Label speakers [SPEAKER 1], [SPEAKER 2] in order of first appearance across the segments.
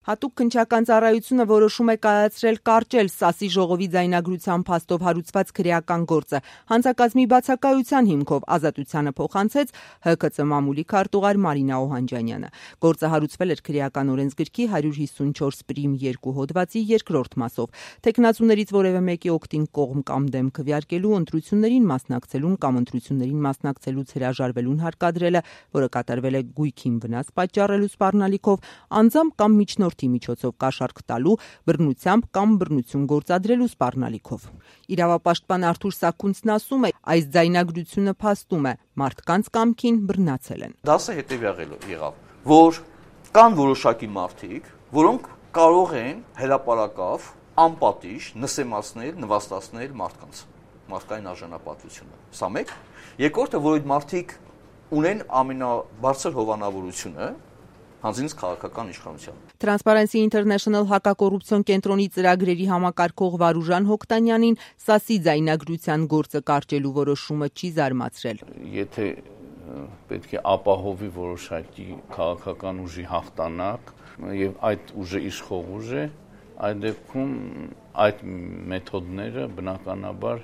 [SPEAKER 1] Հատուկ քննչական ծառայությունը որոշում է կայացրել կարճել ՍԱՍ-ի ժողովի ձայնագրության փաստով հարուցված քրեական գործը։ Հանձնակազմի բացակայության հիմքով ազատությանը փոխանցեց ՀՔԾ մամուլի քարտուղար Մարինա Օհանջանյանը։ Գործը հարուցվել էր քրեական օրենսգրքի 154 պրիմ 2 հոդվածի 2-րդ մասով։ Թեկնածուներից որևէ մեկի օգտին կողմ կամ դեմ քվեարկելու, ընտրություններին մասնակցելուն կամ ընտրություններին մասնակցելուց հրաժարվելուն հարկադրելը, որը կատարվել է գույքին վնաս պատճառելու սպառնալիքով, անձամբ կամ միջնորդի միջոցով կաշառք տալու, բռնությամբ կամ բռնություն գործադրելու սպառնալիքով։ Իրավապաշտպան Արթուր Սաքունցն ասում է, այս ձայնագրությունը փաստում է մարդկանց կամքին բռնացել են։
[SPEAKER 2] Դասը հետևյալը եղավ, որ կան որոշակի մարդիկ, որոնք կարող են հրապարակավ անպատիժ նսեմացնել, նվաստացնել մարդկային արժանապատվությունը։ Սա մեկ։ Երկրորդը, որ այդ մարդիկ ունեն ամենաբարձր հովանավորությունը հանձինս քաղաքական իշխանության։
[SPEAKER 1] Transparency International հակակոռուպցիոն կենտրոնի ծրագրերի համակարգող Վարուժան Հոկտանյանին ՍԱՍ-ի ձայնագրության գործը կարճելու որոշումը չի զարմացրել։
[SPEAKER 3] Եթե պետք է ապահովի որոշակի քաղաքական ուժի հաղթանակ եւ այդ ուժը իշխող ուժ է, այդ դեպքում այդ մեթոդները բնականաբար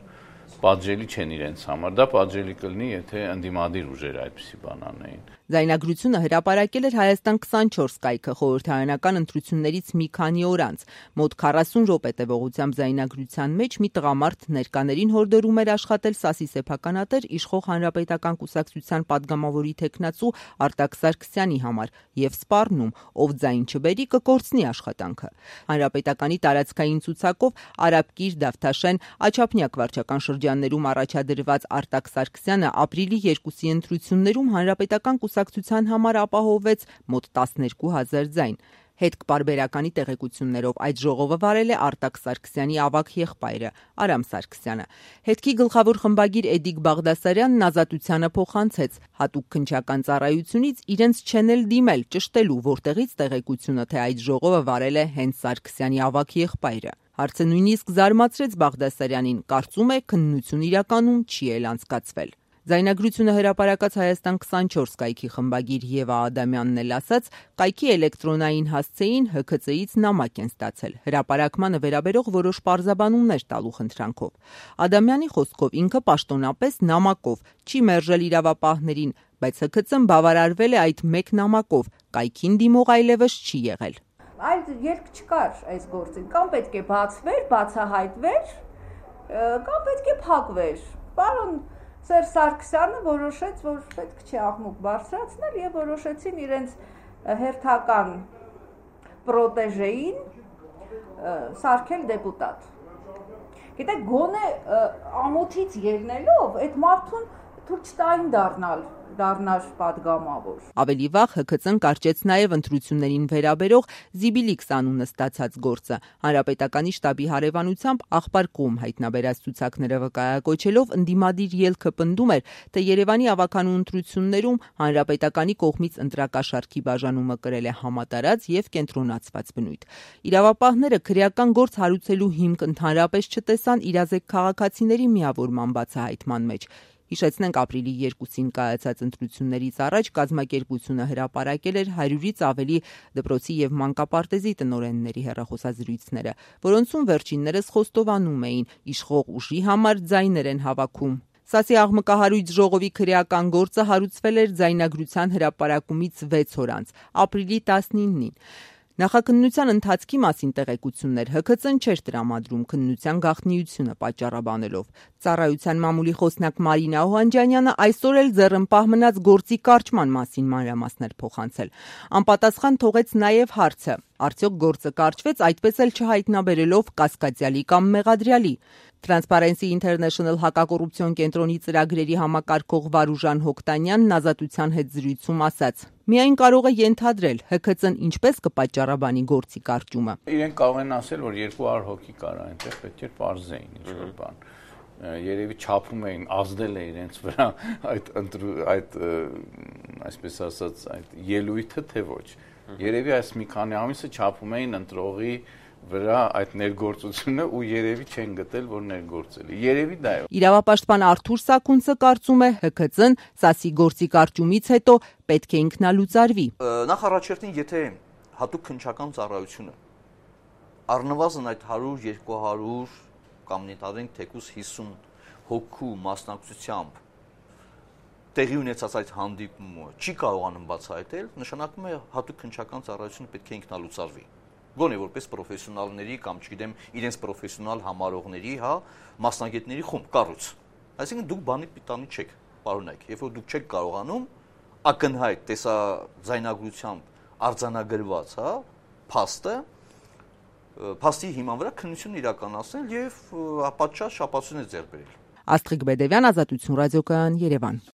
[SPEAKER 3] պատժելի չեն իրենց համար։ Դա պատժելի կլինի, եթե ընդդիմադիր ուժերը այդպիսի բան անեին։
[SPEAKER 1] Ձայնագրությունը հրապարակել էր Հայաստան 24 կայքը խորհրդարանական ընտրություններից մի քանի օր անց։ Մոտ 40 րոպե տևողությամբ ձայնագրության մեջ մի տղամարդ ներկաներին հորդորում էր աշխատել ՍԱՍ-ի սեփականատեր իշխող Հանրապետական կուսակցության падգամավորի թեկնածու Արտակ Սարգսյանի համար եւ սպառնում, ով ձայն չբերի կկորցնի աշխատանքը։ Հանրապետականի տարածքային ցուցակով Արաբկիր, Դավթաշեն, Աչափնյակ վարչական շրջաններում առաջադրված Արտակ Սարգսյանը ապրիլի 2-ի ընտրություններում Հանրապետական կուսակցության համար ապահովեց մոտ 12,000 ձայն։ Հետքպարբերականի տեղեկություններով այդ ժողովը վարել է Արտակ Սարգսյանի ավագ եղբայրը Արամ Սարգսյանը։ Հետքի գլխավոր խմբագիր Էդիկ Բաղդասարյանն ազատությանը փոխանցեց հատուկ քննչական ծառայությունից իրենց չեն էլ դիմել ճշտելու, որտեղից տեղեկությունը, թե այդ ժողովը վարել է հենց Սարգսյանի ավագ եղբայրը։ Հարցը նույնիսկ զարմացրեց Բաղդասարյանին, կարծում է քննություն իրականում չի էլ անցկացվել։ Ձայնագրությունը հրապարակած Հայաստան 24 կայքի խմբագիր Եվա Ադամյանն էլ ասաց, կայքի էլեկտրոնային հասցեին ՀՔԾ-ից նամակ են ստացել, հրապարակմանը վերաբերող որոշ պարզաբանումներ տալու խնդրանքով։ Ադամյանի խոսքով ինքը պաշտոնապես նամակով չի մերժել իրավապահներին, բայց ՀՔԾ-ն բավարարվել է այդ մեկ նամակով, կայքին դիմող այլևս չի եղել։
[SPEAKER 4] Այդ երկ չկար այս գործին, կամ պետք է բացվեր, բացահայտվեր, կամ պետք է փակվեր։ Պարոն Սերժ Սարգսյանը որոշեց, որ պետք չէ աղմուկ բարձրացնել եւ որոշեցին իրենց հերթական պրոտեժեին սարքել դեպուտատ։ Գիտեք, գոնե ամոթից ելնելով այդ մարդուն թույլ չտային դառնալ падգամավոր։
[SPEAKER 1] Ավելի վաղ ՀՔԾ-ն կարճեց նաև ընտրություններին վերաբերող Զիբիլիքս անունը ստացած գործը։ Հանրապետականի շտաբի հարևանությամբ աղբար կողմ հայտնաբերած ցուցակները վկայակոչելով ընդդիմադիր ելքը պնդում էր, թե Երևանի ավականու ընտրություններում Հանրապետականի կողմից ընտրակաշառքի բաժանումը կրել է համատարած եւ կենտրոնացված բնույթ։ Իրավապահները քրեական գործ հարուցելու հիմք ընդհանրապես չտեսան իրազեկ քաղաքացիների միավորման բացահայտման մեջ։ Հիշեցնենք, ապրիլի 2-ին կայացած ընտրություններից առաջ կազմակերպությունը հրապարակել էր 100-ից ավելի դպրոցի եւ մանկապարտեզի տնօրենների հեռախոսազրույցները, որոնցում վերջիններս խոստովանում էին իշխող ուժի համար ձայներ են հավաքում։ ՍԱՍ-ի աղմկահարույց ժողովի քրեական գործը հարուցվել էր ձայնագրության հրապարակումից 6 օր անց, ապրիլի 19-ին։ Նախաքննության ընթացքի մասին տեղեկություններ ՀՔԾ-ն չէր տրամադրում քննության գաղտնիությունը պատճառաբանելով։ Ծառայության մամուլի խոսնակ Մարինա Օհանջանյանը այսօր էլ ձեռնպահ մնաց գործի կարճման մասին մանրամասներ փոխանցել։ Անպատասխան թողեց նաև հարցը. արդյոք գործը կարճվեց այդպես էլ չհայտնաբերելով կասկածյալի կամ մեղադրյալի։ Transparency International հակակոռուպցիոն կենտրոնի ծրագրերի համակարգող Վարուժան Հոկտանյանն ազատության հետ զրույցում ասաց. միայն կարող է ենթադրել ՀՔԾ-ն ինչպես կպատճառաբանի գործի կարճումը։
[SPEAKER 3] Իրենք կարող են ասել, որ 200 հոգի կար այնտեղ, պետք է պարզեին ինչ-որ բան։ Երևի չափում էին, ազդել է իրենց վրա այդ այսպես ասած այդ ելույթը, թե ոչ։ Երևի այս մի քանի ամիսը չափում էին ընտրողի վրա այդ ներգործությունը ու երևի չեն գտել, որ ներգործել է։ Երևի դա է։
[SPEAKER 1] Իրավապաշտպան Արթուր Սաքունցը կարծում է ՀՔԾ-ն ՍԱՍ-ի գործի կարճումից հետո պետք է ինքնալուծարվի։
[SPEAKER 2] Նախ առաջերտին, եթե հատուկ քննչական ծառայությունը առնվազն այդ 100-200 կամ նետարենք թեկուզ 50 հոգու մասնակցությամբ տեղի ունեցած այդ հանդիպումը չի կարողանում բացահայտել, նշանակում է հատուկ քննչական ծառայությունը պետք է ինքնալուծարվի։ Գոնե որպես պրոֆեսիոնալների կամ չգիտեմ իրենց պրոֆեսիոնալ համարողների, մասնագետների խումբ, կառույց։ Այսինքն դուք բանի պիտանի չեք, պարոնայք, երբ որ դուք չեք կարողանում ակնհայտ տեսաձայնագրությամբ արձանագրված, փաստի հիման վրա քննություն իրականացնել եւ պատշաճ շապացույցներ ձեռք բերել։
[SPEAKER 1] Աստղիկ Բեդևյան, Ազատություն ռադիոկայան, Երևան։